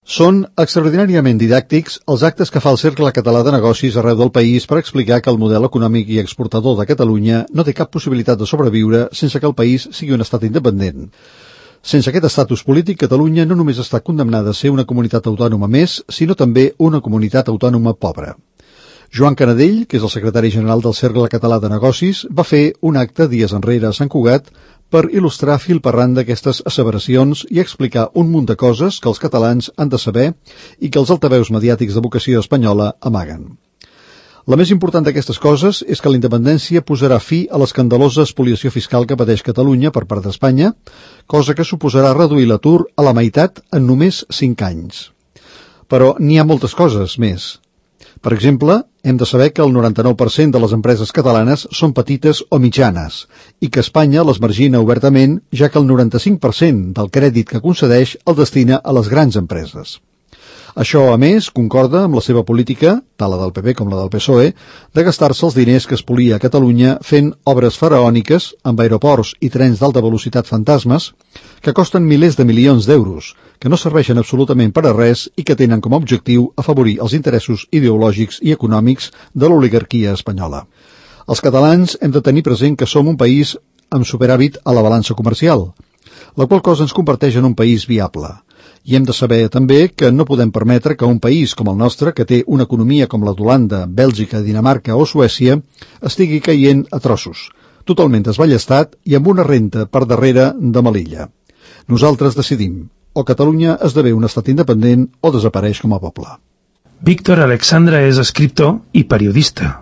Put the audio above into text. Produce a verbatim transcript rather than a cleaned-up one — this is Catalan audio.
Són extraordinàriament didàctics els actes que fa el Cercle Català de Negocis arreu del país per explicar que el model econòmic i exportador de Catalunya no té cap possibilitat de sobreviure sense que el país sigui un estat independent. Sense aquest estatus polític, Catalunya no només està condemnada a ser una comunitat autònoma més, sinó també una comunitat autònoma pobra. Joan Canadell, que és el secretari general del Cercle Català de Negocis, va fer un acte dies enrere a Sant Cugat per il·lustrar fil per randa d'aquestes asseveracions i explicar un munt de coses que els catalans han de saber i que els altaveus mediàtics de vocació espanyola amaguen. La més important d'aquestes coses és que la independència posarà fi a l'escandalosa espoliació fiscal que pateix Catalunya per part d'Espanya, cosa que suposarà reduir l'atur a la meitat en només cinc anys. Però n'hi ha moltes coses més. Per exemple, hem de saber que el noranta-nou per cent de les empreses catalanes són petites o mitjanes i que Espanya les margina obertament, ja que el noranta-cinc per cent del crèdit que concedeix el destina a les grans empreses. Això, a més, concorda amb la seva política, tant la del P P com la del P S O E, de gastar-se els diners que espolia a Catalunya fent obres faraòniques amb aeroports i trens d'alta velocitat fantasmes que costen milers de milions d'euros, que no serveixen absolutament per a res i que tenen com a objectiu afavorir els interessos ideològics i econòmics de l'oligarquia espanyola. Els catalans hem de tenir present que som un país amb superàvit a la balança comercial, la qual cosa ens converteix en un país viable. I hem de saber també que no podem permetre que un país com el nostre, que té una economia com la d'Holanda, Bèlgica, Dinamarca o Suècia, estigui caient a trossos, totalment desballestat i amb una renta per darrere de Melilla. Nosaltres decidim, o Catalunya esdevé un estat independent o desapareix com a poble. Víctor Alexandra és escriptor i periodista.